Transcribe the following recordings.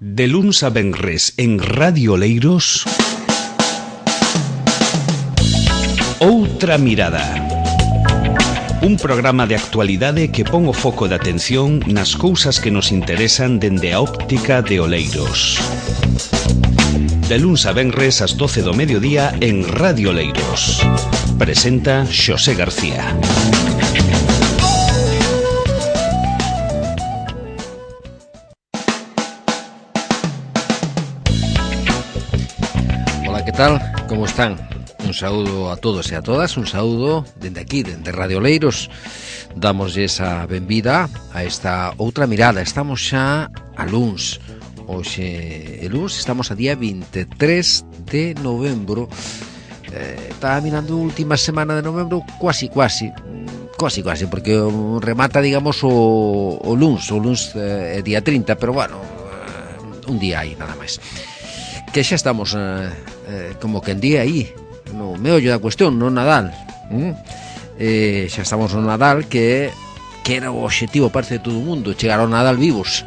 De luns a venres en Radio Oleiros, Outra Mirada. Un programa de actualidade que pon o foco de atención nas cousas que nos interesan dende a óptica de Oleiros. De luns a venres ás 12 do mediodía en Radio Oleiros. Presenta Xosé García. Hola, que tal? Como están? Un saúdo a todos e a todas, un saúdo dende aquí, dende Radio Oleiros. Damoslle esa benvida a esta outra mirada. Estamos xa a luns. Hoxe, luns, estamos a día 23 de novembro. Estaba mirando a última semana de novembro, cuasi, porque remata, digamos, o luns é día 30, pero bueno, un día aí, nada máis. Que xa estamos como que en día aí, no meollo da cuestión, no Nadal. Xa estamos no Nadal, que era o obxectivo, parece, de todo o mundo, chegar ao Nadal vivos.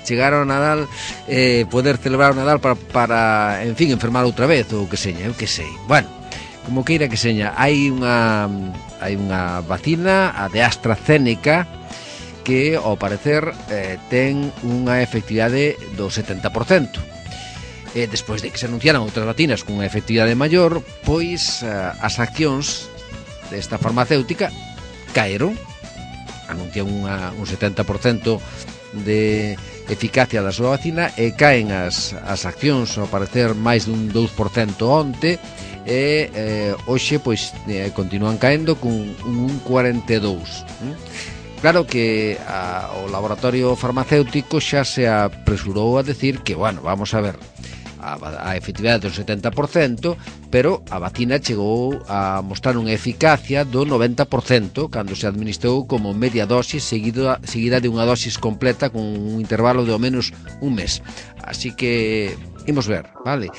Chegar ao Nadal, poder celebrar o Nadal para en fin, enfermar outra vez, ou que seña, eu que sei. Bueno, como queira que seña, hai unha vacina, a de AstraZeneca, que, ao parecer, ten unha efectividade do 70%. Despois de que se anunciaran outras vacinas con unha efectividade maior, pois as accións desta farmacéutica caeron. Anuncian un 70% de eficacia da súa vacina e caen as accións, ao parecer, máis dun 2% onte, e hoxe pois continúan caendo con un 42%. Claro que o laboratorio farmacéutico xa se apresurou a decir que, bueno, vamos a ver, a efectividade do 70%, pero a vacina chegou a mostrar unha eficacia do 90% cando se administrou como media dosis seguida de unha dosis completa con un intervalo de ao menos un mes. Así que imos ver, vale?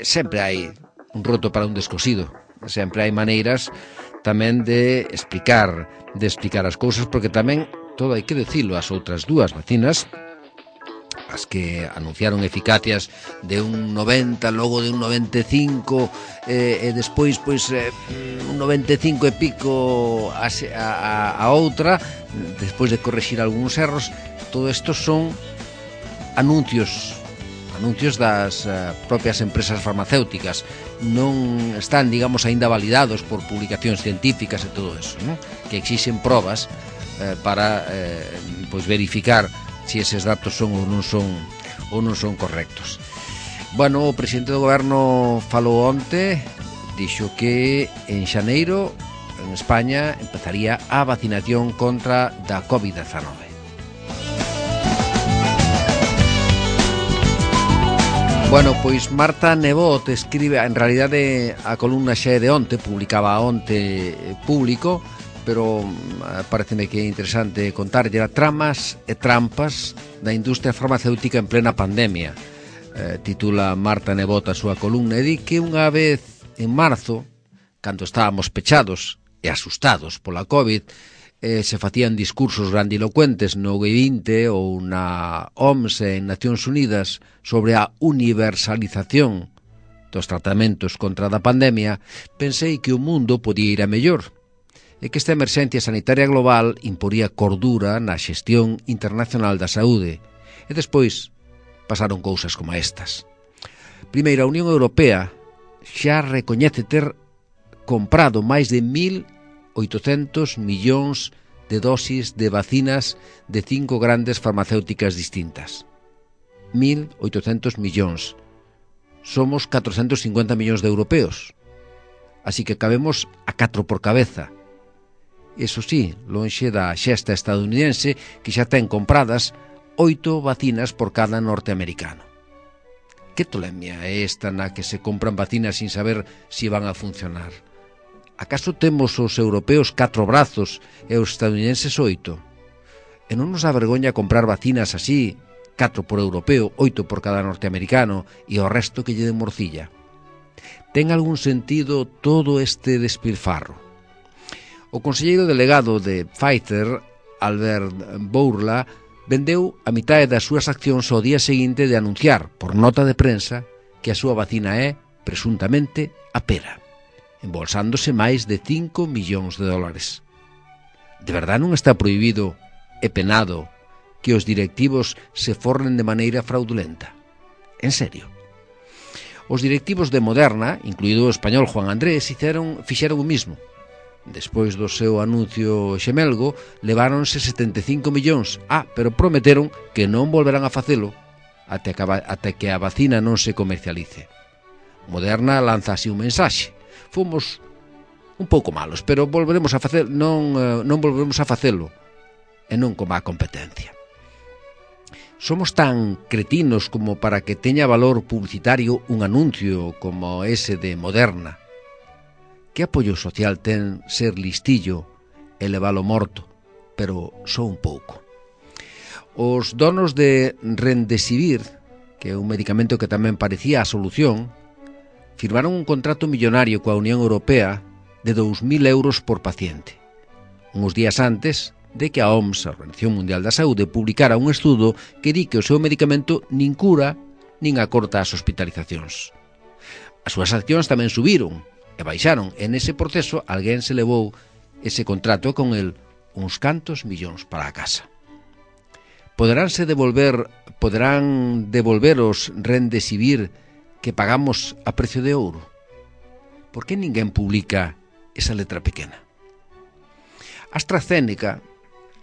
Sempre hai un roto para un descosido, sempre hai maneiras tamén de explicar as cousas, porque tamén, todo hai que dicilo, as outras dúas vacinas, as que anunciaron eficacias de un 90, logo de un 95, e despois pois un 95 e pico a outra, despois de correxir algúns erros. Todo isto son anuncios das propias empresas farmacéuticas. Non están, digamos, aínda validados por publicacións científicas e todo eso, ¿no? Que exixen probas para pois verificar se eses datos son ou non son correctos. Bueno, o presidente do goberno falou onte, dixo que en xaneiro en España empezaría a vacinación contra da COVID-19. Bueno, pois Marta Nebot escribe, en realidade a columna xa é de onte, publicaba onte Público, pero pareceme que é interesante contarlle a tramas e trampas da industria farmacéutica en plena pandemia. Titula Marta Nebot a súa columna e di que unha vez en marzo, cando estábamos pechados e asustados pola COVID, se facían discursos grandilocuentes no G20 ou na OMS en Nacións Unidas sobre a universalización dos tratamentos contra a pandemia, pensei que o mundo podía ir a mellor, e que esta emerxencia sanitaria global imporía cordura na xestión internacional da saúde. E despois pasaron cousas como estas. Primeiro, a Unión Europea xa recoñece ter comprado máis de 1.800 millóns de dosis de vacinas de 5 grandes farmacéuticas distintas. 1.800 millóns. Somos 450 millóns de europeos. Así que cabemos a 4 por cabeza. Eso sí, lonxe da xesta estadounidense, que xa ten compradas 8 vacinas por cada norteamericano. Que tolemia é esta na que se compran vacinas sin saber si van a funcionar? Acaso temos os europeos 4 brazos e os estadounidenses 8? E non nos avergoña comprar vacinas así, 4 por europeo, 8 por cada norteamericano, e o resto que lle de morcilla? Ten algún sentido todo este despilfarro? O conselleiro delegado de Pfizer, Albert Bourla, vendeu a mitade das súas accións ao día seguinte de anunciar, por nota de prensa, que a súa vacina é, presuntamente, a pera, embolsándose máis de 5 millóns de dólares. De verdade non está prohibido e penado que os directivos se forren de maneira fraudulenta? En serio? Os directivos de Moderna, incluído o español Juan Andrés, fixeron o mismo. Despois do seu anuncio xemelgo, leváronse 75 millóns, pero prometeron que non volverán a facelo até que a vacina non se comercialice. Moderna lanza así un mensaxe: fomos un pouco malos, pero volveremos a facer, non volveremos a facelo, e non como a competencia. Somos tan cretinos como para que teña valor publicitario un anuncio como ese de Moderna. Que apoio social ten ser listillo e levalo morto, pero só un pouco. Os donos de Remdesivir, que é un medicamento que tamén parecía a solución, firmaron un contrato millonario coa Unión Europea de 2.000 euros por paciente, uns días antes de que a OMS, a Organización Mundial da Saúde, publicara un estudo que di que o seu medicamento nin cura nin acorta as hospitalizacións. As súas accións tamén subiron e baixaron, e nese proceso alguén se levou ese contrato con el uns cantos millóns para a casa. Poderán devolver os Remdesivir que pagamos a precio de ouro? Por que ninguén publica esa letra pequena? AstraZeneca,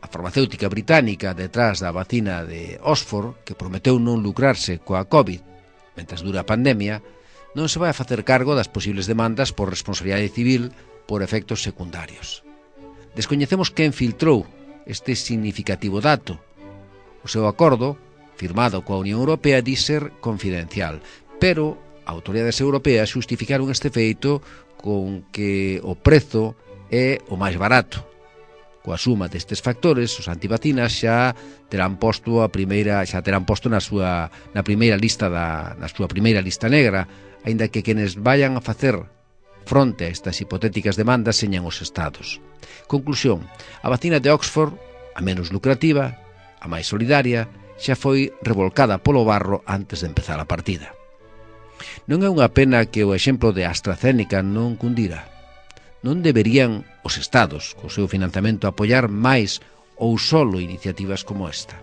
a farmacéutica británica detrás da vacina de Oxford, que prometeu non lucrarse coa COVID mentras dura a pandemia, non se vai a facer cargo das posibles demandas por responsabilidade civil por efectos secundarios. Descoñecemos quen filtrou este significativo dato. O seu acordo, firmado coa Unión Europea, di ser confidencial, pero autoridades europeas xustificaron este feito con que o prezo é o máis barato. Coa suma destes factores, os antivacinas xa terán posto na súa primeira lista negra, aínda que quenes vayan a facer fronte a estas hipotéticas demandas señan os estados. Conclusión: a vacina de Oxford, a menos lucrativa, a máis solidaria, xa foi revolcada polo barro antes de empezar a partida. Non é unha pena que o exemplo de AstraZeneca non cundira? Non deberían os estados, co seu financiamento, apoiar máis ou solo iniciativas como esta?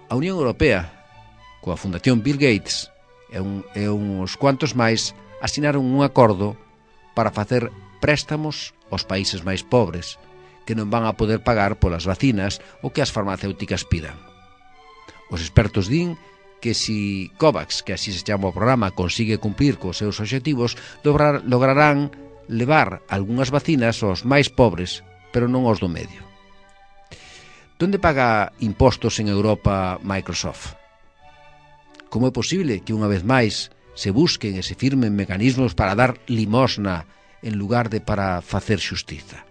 A Unión Europea, coa Fundación Bill Gates e uns cuantos máis, asinaron un acordo para facer préstamos aos países máis pobres, que non van a poder pagar polas vacinas o que as farmacéuticas pidan. Os expertos din que si COVAX, que así se chama o programa, consigue cumplir cos seus obxectivos, lograrán levar algunhas vacinas aos máis pobres, pero non aos do medio. Donde paga impostos en Europa Microsoft? Como é posible que unha vez máis se busquen e se firmen mecanismos para dar limosna en lugar de para facer xustiza?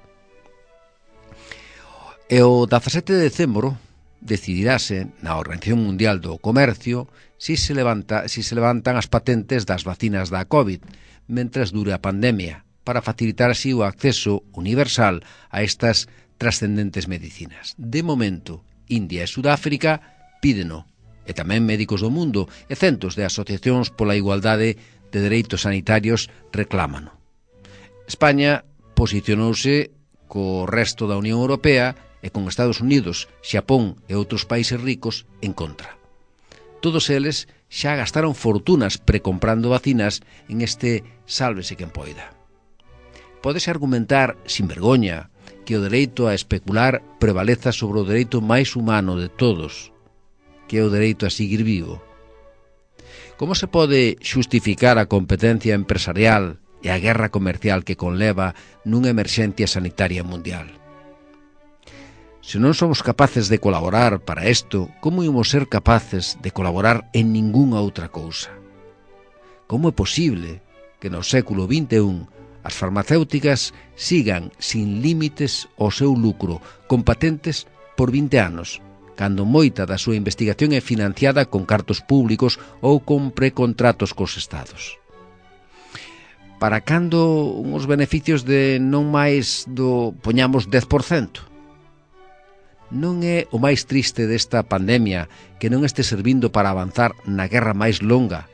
E o 17 de decembro decidirase na Organización Mundial do Comercio si se levantan as patentes das vacinas da COVID mentres dure a pandemia, para facilitar así o acceso universal a estas trascendentes medicinas. De momento, India e Sudáfrica pídeno, e tamén médicos do mundo e centos de asociacións pola igualdade de dereitos sanitarios reclámano. España posicionouse co resto da Unión Europea e con Estados Unidos, Xapón e outros países ricos en contra. Todos eles xa gastaron fortunas precomprando vacinas en este sálvese quen poida. Pódese argumentar, sin vergoña, que o dereito a especular prevaleza sobre o dereito máis humano de todos, que é o dereito a seguir vivo. Como se pode xustificar a competencia empresarial e a guerra comercial que conleva nunha emerxencia sanitaria mundial? Se non somos capaces de colaborar para isto, como ímos ser capaces de colaborar en ningunha outra cousa? Como é posible que no século XXI as farmacéuticas sigan sin límites o seu lucro, con patentes por 20 anos, cando moita da súa investigación é financiada con cartos públicos ou con precontratos cos estados? Para cando uns beneficios de non máis do, poñamos, 10%? non é o máis triste desta pandemia que non este servindo para avanzar na guerra máis longa,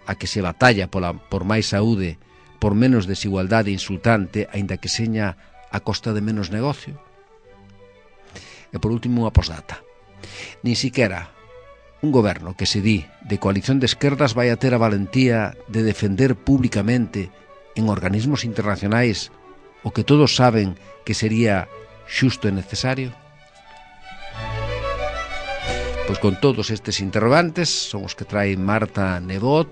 a que se batalla por máis saúde, por menos desigualdade insultante, aínda que seña a costa de menos negocio? E por último, unha postdata. Nin siquiera un goberno que se di de coalición de esquerdas vai a ter a valentía de defender públicamente en organismos internacionais o que todos saben que sería xusto e necesario? Pois con todos estes interrogantes son os que trae Marta Nebot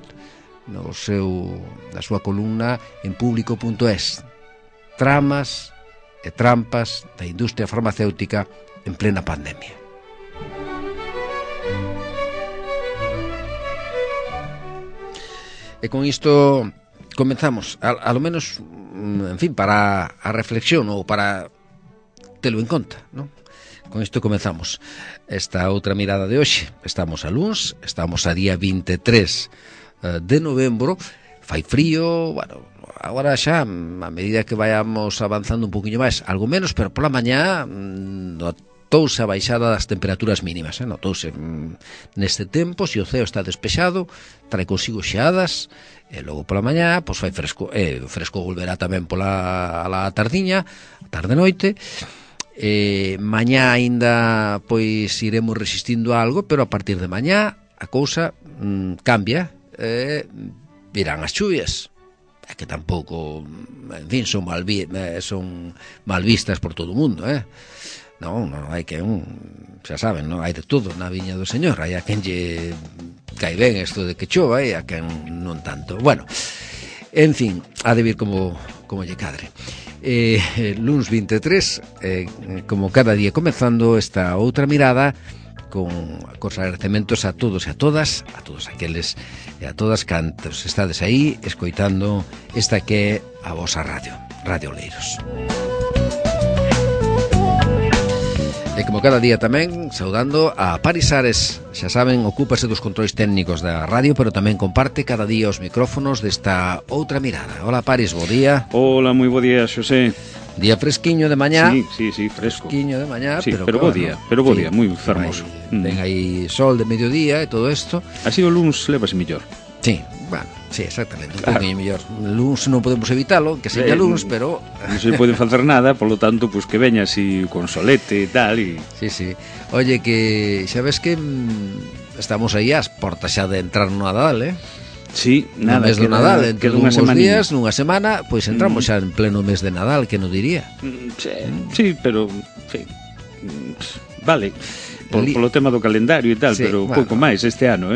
na súa columna en público.es. Tramas e trampas da industria farmacéutica en plena pandemia. E con isto comenzamos, a lo menos, en fin, para a reflexión ou para telo en conta, non? Con isto comenzamos esta outra mirada de hoxe. Estamos a luns, estamos a día 23 de novembro, fai frío, bueno, agora xa, a medida que vayamos avanzando un poquinho máis, algo menos, pero pola mañá notouse a baixada das temperaturas mínimas, notouse neste tempo, se o ceo está despexado, trae consigo xeadas, e logo pola mañá, pois fai fresco, o fresco volverá tamén pola tardiña, tarde-noite. Mañá aínda pois iremos resistindo a algo, pero a partir de mañá a cousa cambia, virán as chuvias, que tampouco, en fin, son mal vistas por todo o mundo, non, hai que xa saben, non, hai de todo na viña do Señor, hai a quen lle cae ben isto de que chova e a quen non tanto. Bueno, en fin, ha de vir como lle cadre. Luns 23, como cada día comezando esta outra mirada con agradecementos a todos e a todas, a todos aqueles e a todas cantos estades aí escoitando esta que é a vosa radio, Radio Oleiros. E como cada día tamén, saudando a Paris Ares, xa saben, ocúpase dos controis técnicos da radio, pero tamén comparte cada día os micrófonos desta outra mirada. Hola Paris, bo día. Hola, moi bo día, Xosé. Día fresquiño de mañá. Sí, fresco. Fresquiño de mañá, sí, pero bo día, moi fermoso. Ten aí sol de mediodía e todo isto. Así o luns levase mellor. Sí, bueno, sí, exactamente, un poquinho mellor. Luns non podemos evitalo, que seña luns, pero non se pode facer nada, polo tanto, pois que veña así con solete e tal e... Sí. Oye, que xa ves que estamos aí ás portas xa de entrar no Nadal, Sí, nada, no mes do Nadal, entre nunha días, nunha semana, pois entramos xa en pleno mes de Nadal, que non diría. Sí, pero, vale, polo tema do calendario e tal, sí, pero bueno, pouco máis este ano,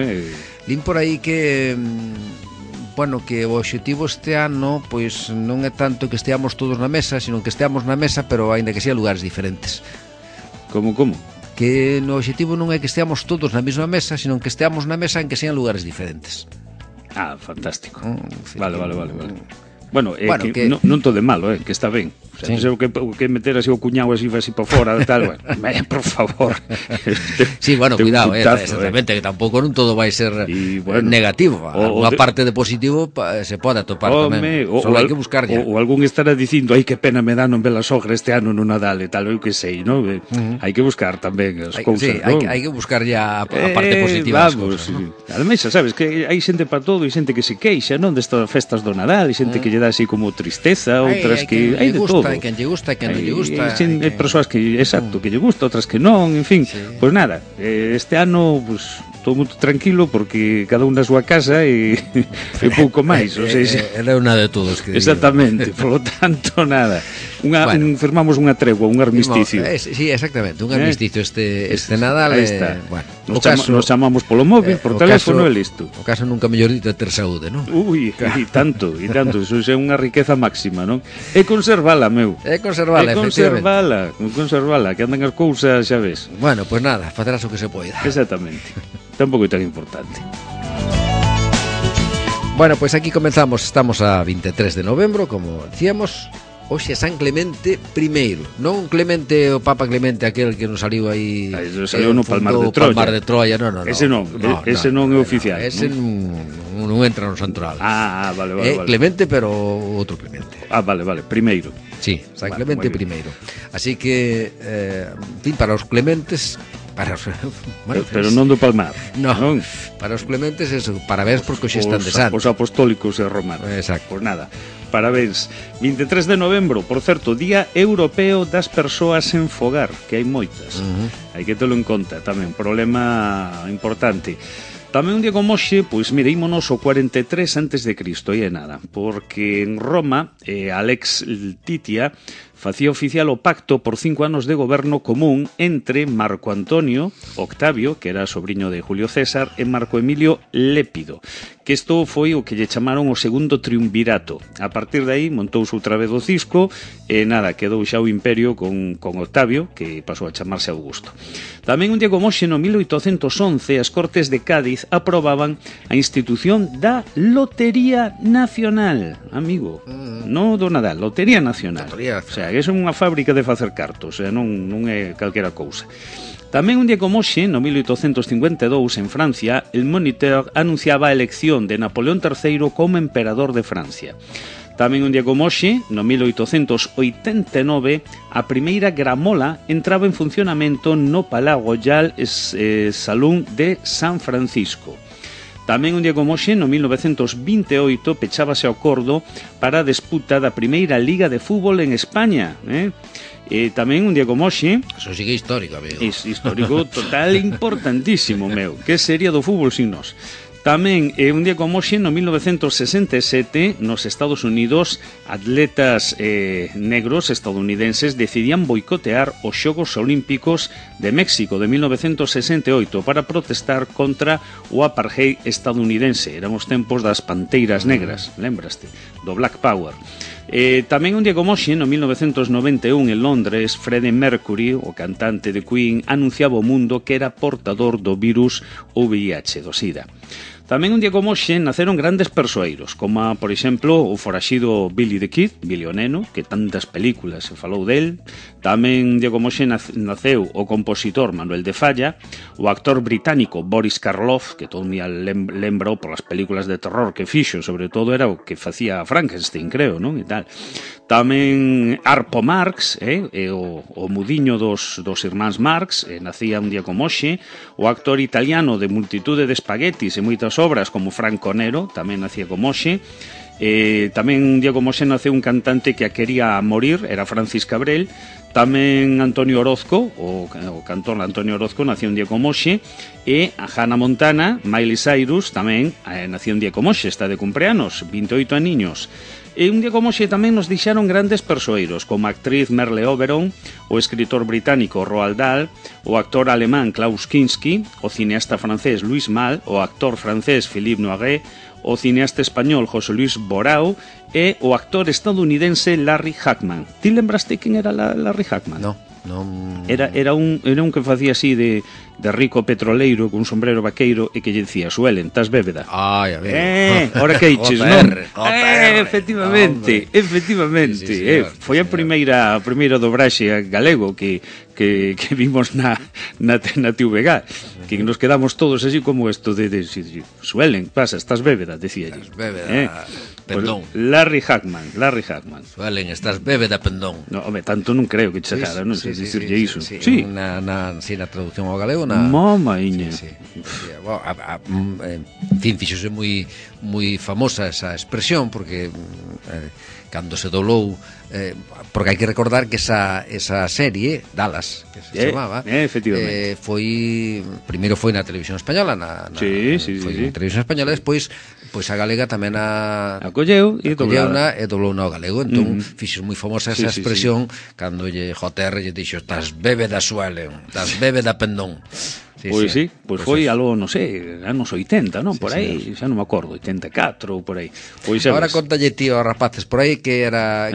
Lin por aí que, bueno, que o obxectivo este ano, pois non é tanto que esteamos todos na mesa, sino que esteamos na mesa, pero aínda que sea lugares diferentes. Como? Que no obxectivo non é que esteamos todos na mesma mesa, sino que esteamos na mesa en que sean lugares diferentes. Ah, fantástico. Sí, vale. Bueno, que non todo de malo, que está ben. O sea, sí. O que meter así o cuñado así para fora tal, bueno, por favor. Sí, bueno, cuidado, exactamente, que tampouco non todo vai ser negativo. Unha parte de positivo se pode atopar tamén. Só hai que buscar ya. Ou algún estará dicindo, ai, que pena me dá non ver a sogra este ano no Nadal e tal, eu que sei, non? Hai que buscar tamén as cousas, non? Hai que buscar ya a parte positiva das cousas. Ademais, sabes, que hai xente para todo e xente que se queixa, non? Destas festas do Nadal e xente que lle dá así como tristeza, outras que hai de todo. Hai quen lle gusta, quen non lle gusta. Hai persoas que, exacto, que lle gusta, outras que non, en fin. Pois nada, este ano, pois, todo muito tranquilo porque cada un na súa casa e pouco máis, ou seja, era unha de todos que exactamente, polo tanto nada. Firmamos unha tregua, un armisticio. Sí, exactamente, un armisticio este Nadal, bueno, nos chamamos polo móvil, por teléfono e listo. O caso nunca mellor dito é ter saúde, non? Ui, e tanto, eso é unha riqueza máxima, non? E conservala, meu. Conservala, que andan as cousas, xa ves. Bueno, pois nada, facerás o que se poida. Exactamente. Tampouco é tan importante. Bueno, pois aquí comenzamos, estamos a 23 de novembro, como decíamos. Hoxe é San Clemente I, non Clemente, o Papa Clemente, aquel que nos saliu aí, saliu no Palmar de Troia. Palmar de Troia, non. Ese non é oficial. Ese non entra no santoral. Vale. Clemente, pero outro Clemente. Vale, primeiro. Sí, San Clemente primeiro. Así que, en fin, para os Clementes... bueno, pero non do Palmar. Non. Para os Clementes, eso, parabéns porque hoxe están de santos. Os apostólicos e romanos. Exacto. Pois nada, parabéns. 23 de novembro, por certo, Día Europeo das Persoas en Fogar, que hai moitas. Hai que telo en conta tamén, problema importante. Tamén un día como hoxe, pois mire, ímonos o 43 antes de Cristo, e é nada, porque en Roma, Alex Titia facía oficial o pacto por 5 anos de goberno común entre Marco Antonio Octavio, que era sobrinho de Julio César, e Marco Emilio Lépido, que isto foi o que lle chamaron o segundo triunvirato. A partir de aí montouse outra vez o cisco e nada, quedou xa o imperio con Octavio, que pasou a chamarse Augusto. Tamén un día como hoxe, no 1811, as Cortes de Cádiz aprobaban a institución da Lotería Nacional, amigo, non do Nadal, Lotería Nacional. O sea, que é unha fábrica de facer cartos, non é calquera cousa. Tamén un día como hoxe, no 1852, en Francia, el Moniteur anunciaba a elección de Napoleón III como emperador de Francia. Tamén un día como hoxe, no 1889, a primeira gramola entraba en funcionamento no Palais Royal Salón de San Francisco. Tamén un día como hoxe, no 1928, pechábase o acordo para a disputa da primeira Liga de Fútbol en España, tamén un día como hoxe... Eso sigue histórico, amigo. É histórico total, importantísimo, meu. Que sería do fútbol sin nós? Tamén un día como hoxe, no 1967, nos Estados Unidos, atletas negros estadounidenses decidían boicotear os Xogos Olímpicos de México de 1968 para protestar contra o apartheid estadounidense. Eran os tempos das panteiras negras, lembraste? Do Black Power. Tamén un día como hoxe, no 1991, en Londres, Freddie Mercury, o cantante de Queen, anunciaba ao mundo que era portador do virus VIH, do SIDA. Tamén un día como hoxe naceron grandes persoeiros, como, por exemplo, o foraxido Billy the Kid, Billy o Neno, que tantas películas se falou del. Tamén un día como hoxe naceu o compositor Manuel de Falla, o actor británico Boris Karloff, que todo me lembra polas películas de terror que fixo, sobre todo era o que facía Frankenstein, creo, non? E tal. Tamén Harpo Marx, o mudiño dos irmáns Marx, nacía un día como hoxe. O actor italiano de multitude de espaguetis e moitas obras como Franco Nero, tamén nacía como hoxe. Tamén un día como hoxe naceu un cantante que a quería morir, era Francis Cabrel. Tamén Antonio Orozco, o cantor Antonio Orozco, nacía un día como hoxe. E a Hannah Montana, Miley Cyrus, tamén nacía un día como hoxe, está de cumpleanos, 28 aniños. E un día como hoxe tamén nos deixaron grandes persoeiros, como a actriz Merle Oberon, o escritor británico Roald Dahl, o actor alemán Klaus Kinski, o cineasta francés Louis Malle, o actor francés Philippe Noiret, o cineasta español José Luis Borao e o actor estadounidense Larry Hagman. Ti lembraste quen era Larry Hagman? Non. Era un que facía así de rico petroleiro con un sombrero vaqueiro e que lle dicía: Suelen, estás bébeda. Ai, a ver. Ora que eiches, non? Efectivamente. Sí, foi a primeira dobraxe galego que vimos na TVG, que nos quedamos todos así como esto de Suelen, pasa, estás bébeda, decía lle. Estás bébeda, pendón. Larry Hagman. Suelen, estás bébeda, pendón. No, home, tanto non creo que chegara, non sei dicirlle iso. Sí, na traducción ao galego, Mamaiña. Sí. En fin, fixose moi famosa esa expresión porque cando se doblou, porque hai que recordar que esa serie Dallas, que se chamaba, efectivamente, primeiro foi na televisión española, na televisión española, despois a galega tamén acolleu e doblou ao galego. Entón fixo moi famosa esa expresión cando JR lle dixo: estás bébeda, Suelen, estás bébeda, pendón. Pois foi algo, non sei, anos 80, non? Por aí, xa non me acordo, 84 ou por aí. Agora contalle tío aos rapaces por aí que era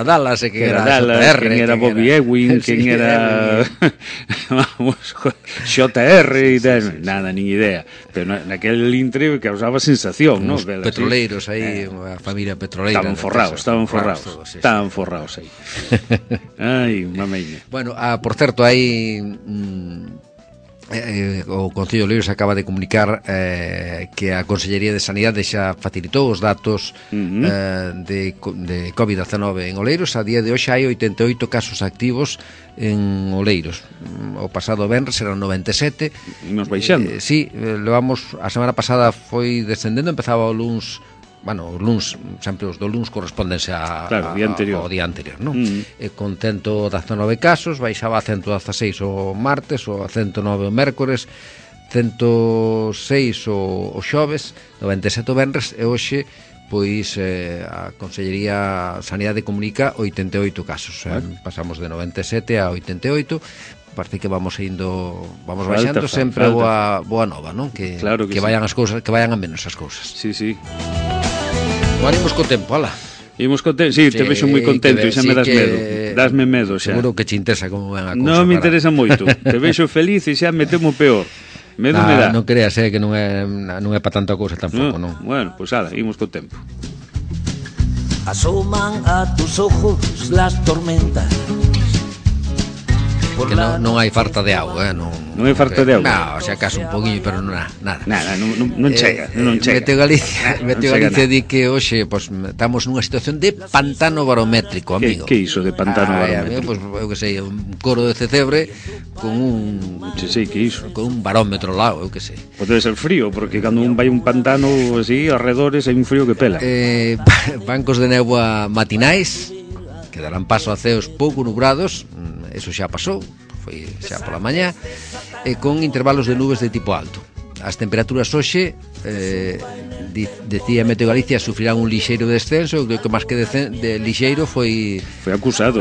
Dallas e que era JR, quen era Bobby Ewing, quen era JR e nada, nin idea. Pero naquel intre causaba sensación, non? Os petroleiros aí, a familia petroleira. Estaban forrados aí. Ai, mameña. Bueno, por certo, hai o Concello de Oleiros acaba de comunicar que a Consellería de Sanidade xa facilitou os datos de COVID-19 en Oleiros. A día de hoxe hai 88 casos activos en Oleiros. O pasado venres eran 97. E nos baixando. Sí, levamos, a semana pasada foi descendendo, empezaba o luns. Bueno, os luns, sempre os do luns correspondense ao día anterior, non? Con 119 casos, baixaba a 116 o martes, ou a 109 o mércores, 106 o xoves, 97 o venres, e hoxe pois a Consellería Sanidade comunica 88 casos. Pasamos de 97 a 88. Parece que vamos baixando sempre boa nova, non? Que vayan as cousas, que vayan a menos as cousas. Sí, sí. Imos co tempo, ala. Imos co tempo, sí, te vexo moi contento e xa me das medo. Dasme medo xa. Seguro que te interesa como ven a cousa. Non me interesa moito. Te vexo feliz e xa me temo peor. Medo me dá. Non creas, que non é para tanta cousa tampouco, non? Bueno, pois ala, imos co tempo. Asoman a tus ojos las tormentas. Que non hai falta de auga, non hai falta de auga. Non, se acaso un poquinho, pero nada. Nada, non chega, non chega. Meteo Galicia di que hoxe estamos nunha situación de pantano barométrico, amigo. Que iso de pantano barométrico? Pois eu que sei, un coro de Cecebre con un con un barómetro ao lado, eu que sei. Pois debe ser frío, porque cando un vai un pantano así, arredores hai un frío que pela. Bancos de néboa matinais que darán paso a ceos pouco nubrados. Eso xa pasou, foi xa pola mañá, con intervalos de nubes de tipo alto. As temperaturas hoxe, decía Meteo Galicia, sufrirán un lixeiro descenso. Eu creo que máis que de lixeiro foi acusado,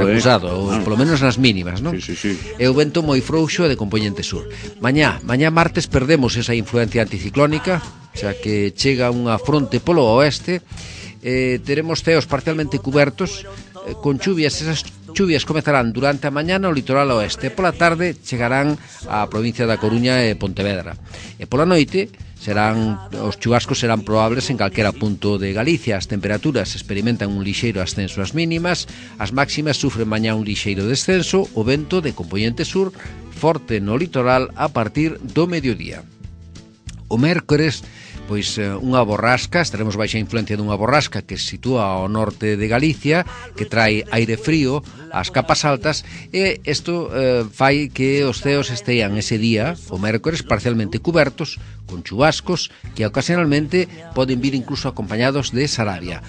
polo menos nas mínimas, non? Sí. E o vento moi frouxo e de compoñente sur. Mañá martes perdemos esa influencia anticiclónica, xa que chega unha fronte polo oeste. Teremos ceos parcialmente cubertos con chuvias. Esas chuvias comezarán durante a mañá no litoral oeste. Pola tarde chegarán á provincia da Coruña e Pontevedra. E pola noite os chubascos serán probables en calquera punto de Galicia. As temperaturas experimentan un lixeiro ascenso ás mínimas. As máximas sufren mañá un lixeiro descenso. O vento de compoñente sur forte no litoral a partir do mediodía. O mércores, pois unha borrasca, estaremos baixa influencia dunha borrasca que se sitúa ao norte de Galicia, que trae aire frío ás capas altas, e isto fai que os ceos estean ese día, o mércores, parcialmente cubertos, con chubascos que ocasionalmente poden vir incluso acompañados de sarabia,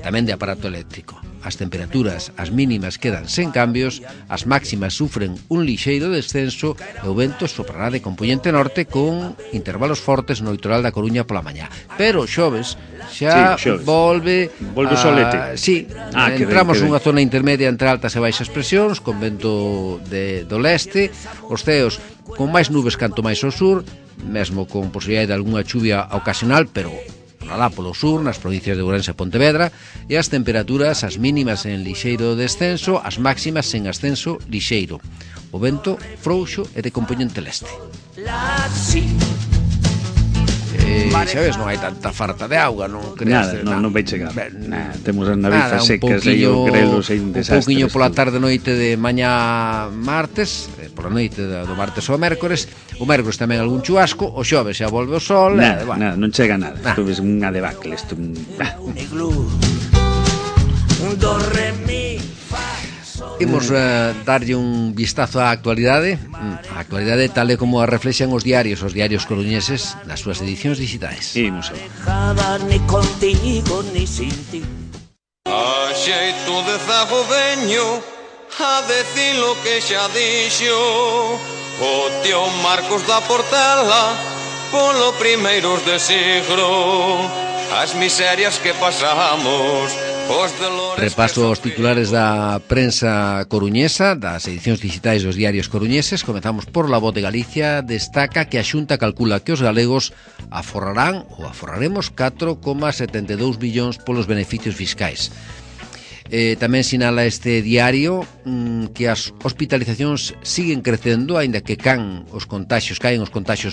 tamén de aparato eléctrico. As temperaturas, as mínimas quedan sen cambios, as máximas sufren un lixeiro descenso e o vento soprará de compoñente norte con intervalos fortes no litoral da Coruña pola mañá. Pero xoves xa volve o solete. Sí, entramos nunha zona intermedia entre altas e baixas presións, con vento do leste, os ceos con máis nubes canto máis ao sur, mesmo con posibilidade de algunha chuvia ocasional, pero alá polo sur, nas provincias de Ourense e Pontevedra, e as temperaturas, as mínimas en lixeiro descenso, as máximas en ascenso lixeiro. O vento frouxo e de compoñente leste. Xa ves, non hai tanta falta de auga, non creas? Nada, non vai chegar. Temos as navizas secas e o grelo sen desastres. Un poquinho pola tarde noite de mañá martes, pola noite do martes ao mércores. O mércores tamén algún chubasco, o xoves xa volve o sol. Nada, non chega nada. Isto é unha debacle. Imos darlle un vistazo á actualidade. A actualidade tal e como a reflexan os diarios coruñeses nas súas edicións digitais. Imos ni contigo ni sin ti. A xeito de zago veño a decir lo que xa dixo o tío Marcos da Portela polo primeiros de siglo, as miserias que pasamos. Repaso aos titulares da prensa coruñesa, das edicións digitais dos diarios coruñeses. Comezamos por La Voz de Galicia. Destaca que a Xunta calcula que os galegos aforrarán ou aforraremos 4,72 billóns polos beneficios fiscais. Tamén sinala este diario que as hospitalizacións siguen crecendo, aínda que caen os contaxios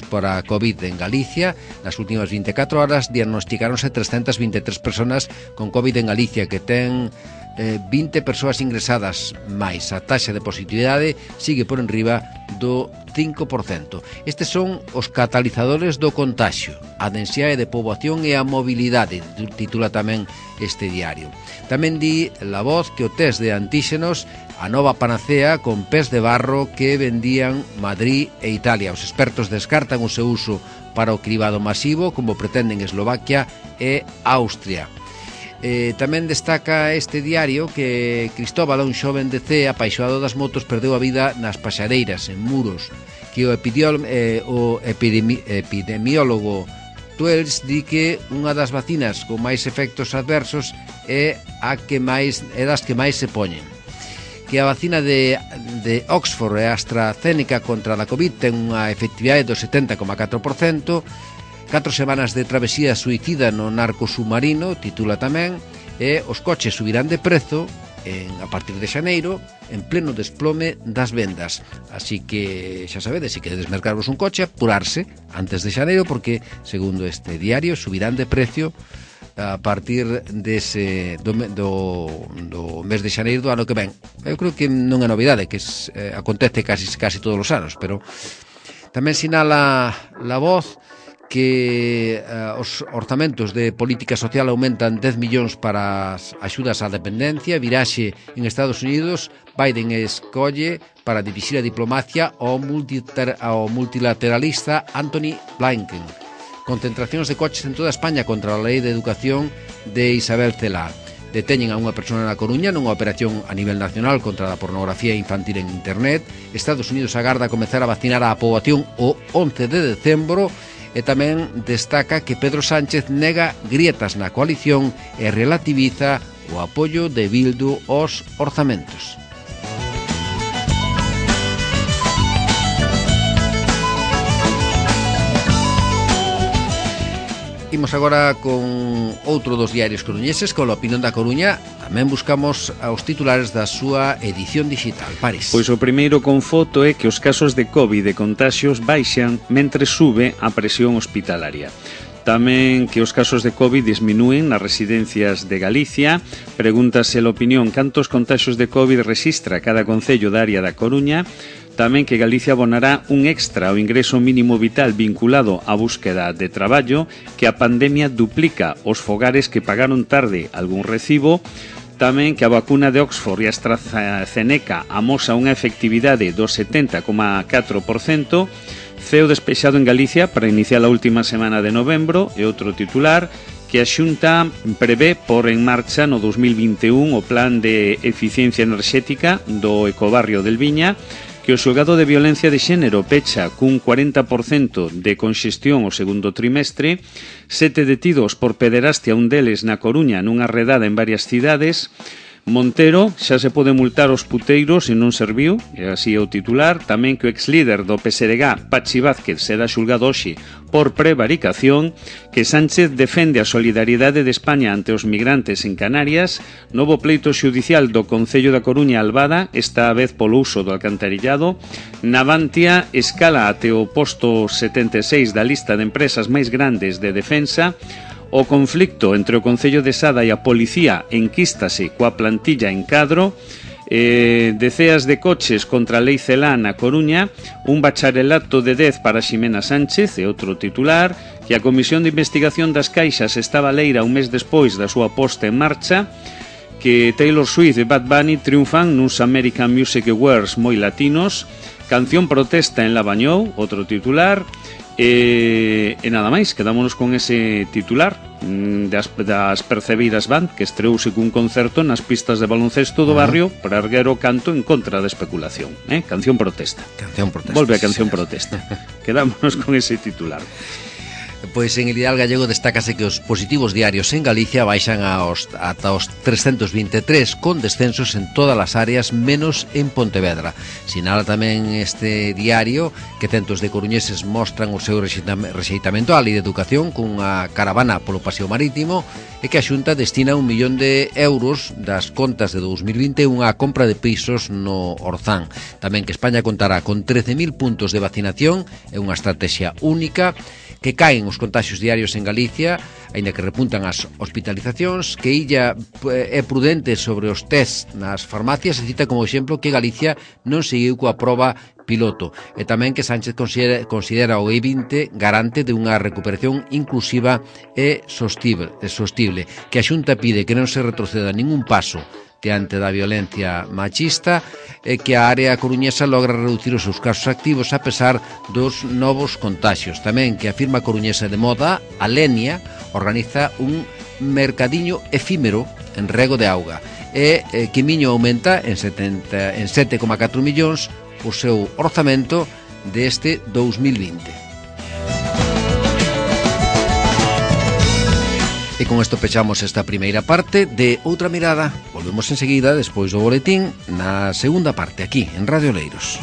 para a COVID en Galicia. Nas últimas 24 horas diagnosticáronse 323 personas con COVID en Galicia, que ten 20 persoas ingresadas máis. A taxa de positividade sigue por enriba do 5%. Estes son os catalizadores do contagio, a densidade de poboación e a mobilidade, titula tamén este diario. Tamén di La Voz que o test de antíxenos, a nova panacea con pés de barro que vendían Madrid e Italia. Os expertos descartan o seu uso para o cribado masivo, como pretenden Eslovaquia e Austria. Tamén destaca este diario que Cristóbal, un xoven de Cee apaixonado das motos, perdeu a vida nas paxareiras, en Muros, que o epidemiólogo Tuels di que unha das vacinas con máis efectos adversos é das que máis se poñen, que a vacina de Oxford e AstraZeneca contra a COVID ten unha efectividade do 70,4%. 4 semanas de travesía suicida no narco submarino, titula tamén, e os coches subirán de prezo a partir de xaneiro, en pleno desplome das vendas. Así que, xa sabedes, se queredes mercarvos un coche, apurarse antes de xaneiro, porque, segundo este diario, subirán de precio a partir do mes de xaneiro do ano que ven. Eu creo que non é novidade, que acontece casi todos os anos, pero tamén sinala La Voz que os orzamentos de política social aumentan 10 millóns para as axudas á dependencia. Viraxe en Estados Unidos, Biden escolle para dirixir a diplomacia ao multilateralista Antony Blinken. Concentracións de coches en toda España contra a lei de educación de Isabel Celaá. Deteñen a unha persona na Coruña nunha operación a nivel nacional contra a pornografía infantil en internet. Estados Unidos agarda comezar a vacinar a poboación o 11 de decembro. E tamén destaca que Pedro Sánchez nega grietas na coalición e relativiza o apoio de Bildu aos orzamentos. Imos agora con outro dos diarios coruñeses, con a Opinión da Coruña. Tamén buscamos os titulares da súa edición digital. Paris. Pois o primeiro con foto é que os casos de COVID e contaxios baixan mentre sube a presión hospitalaria. Tamén que os casos de COVID disminúen nas residencias de Galicia. Pregúntase a Opinión cantos contaxios de COVID rexistra cada concello da área da Coruña. Tamén que Galicia abonará un extra ao ingreso mínimo vital vinculado á búsqueda de traballo, que a pandemia duplica os fogares que pagaron tarde algún recibo. Tamén que a vacuna de Oxford e AstraZeneca amosa unha efectividade do 70,4%. Ceo despexado en Galicia para iniciar a última semana de novembro. E outro titular, que a Xunta prevé por en marcha no 2021 o plan de eficiencia enerxética do ecobarrio del Viña, que o xulgado de violencia de xénero pecha cun 40% de conxestión o segundo trimestre, 7 detidos por pederastia, un deles na Coruña nunha redada en varias cidades. Montero xa se pode multar os puteiros e non serviu, e así é o titular. Tamén que o exlíder do PSDG, Pachi Vázquez, será xulgado hoxe por prevaricación, que Sánchez defende a solidariedade de España ante os migrantes en Canarias, novo pleito xudicial do Concello da Coruña Albada, esta vez polo uso do alcantarillado. Navantia escala até o posto 76 da lista de empresas máis grandes de defensa. O conflicto entre o Concello de Sada e a Policía enquístase coa plantilla en cadro. Deceas de coches contra a lei Celaá na Coruña. Un bacharelato de 10 para Ximena Sánchez e outro titular, que a Comisión de Investigación das Caixas estaba leira un mes despois da súa posta en marcha. Que Taylor Swift e Bad Bunny triunfan nuns American Music Awards moi latinos. Canción protesta en Lavañou, outro titular. E nada máis, quedámonos con ese titular das Percebiras Band, que estreouse cun concerto nas pistas de baloncesto do barrio para erguer o canto en contra da especulación. Canción protesta. Canción protesta. Volve a canción protesta. Quedámonos con ese titular. Pois en Ideal Gallego destácase que os positivos diarios en Galicia baixan ata os 323, con descensos en todas as áreas menos en Pontevedra. Sinala tamén este diario que centos de coruñeses mostran o seu rexeitamento á Lei de Educación cunha caravana polo paseo marítimo e que a Xunta destina 1 millón de euros das contas de 2021 á compra de pisos no Orzán. Tamén que España contará con 13.000 puntos de vacinación e unha estrategia única, que caen os contaxios diarios en Galicia, aínda que repuntan as hospitalizacións, que Illa é prudente sobre os test nas farmacias e cita como exemplo que Galicia non seguiu coa proba piloto, e tamén que Sánchez considera o I-20 garante de unha recuperación inclusiva e sostible, que a Xunta pide que non se retroceda ningún paso diante da violencia machista e que a área coruñesa logra reducir os seus casos activos a pesar dos novos contaxios. Tamén que a firma coruñesa de moda, Alenia, organiza un mercadiño efímero en Rego de Auga e que Miño aumenta en 7,4 millóns o seu orzamento deste 2020. E con isto pechamos esta primeira parte de Outra Mirada. Volvemos enseguida, despois do boletín, na segunda parte, aquí, en Radio Oleiros.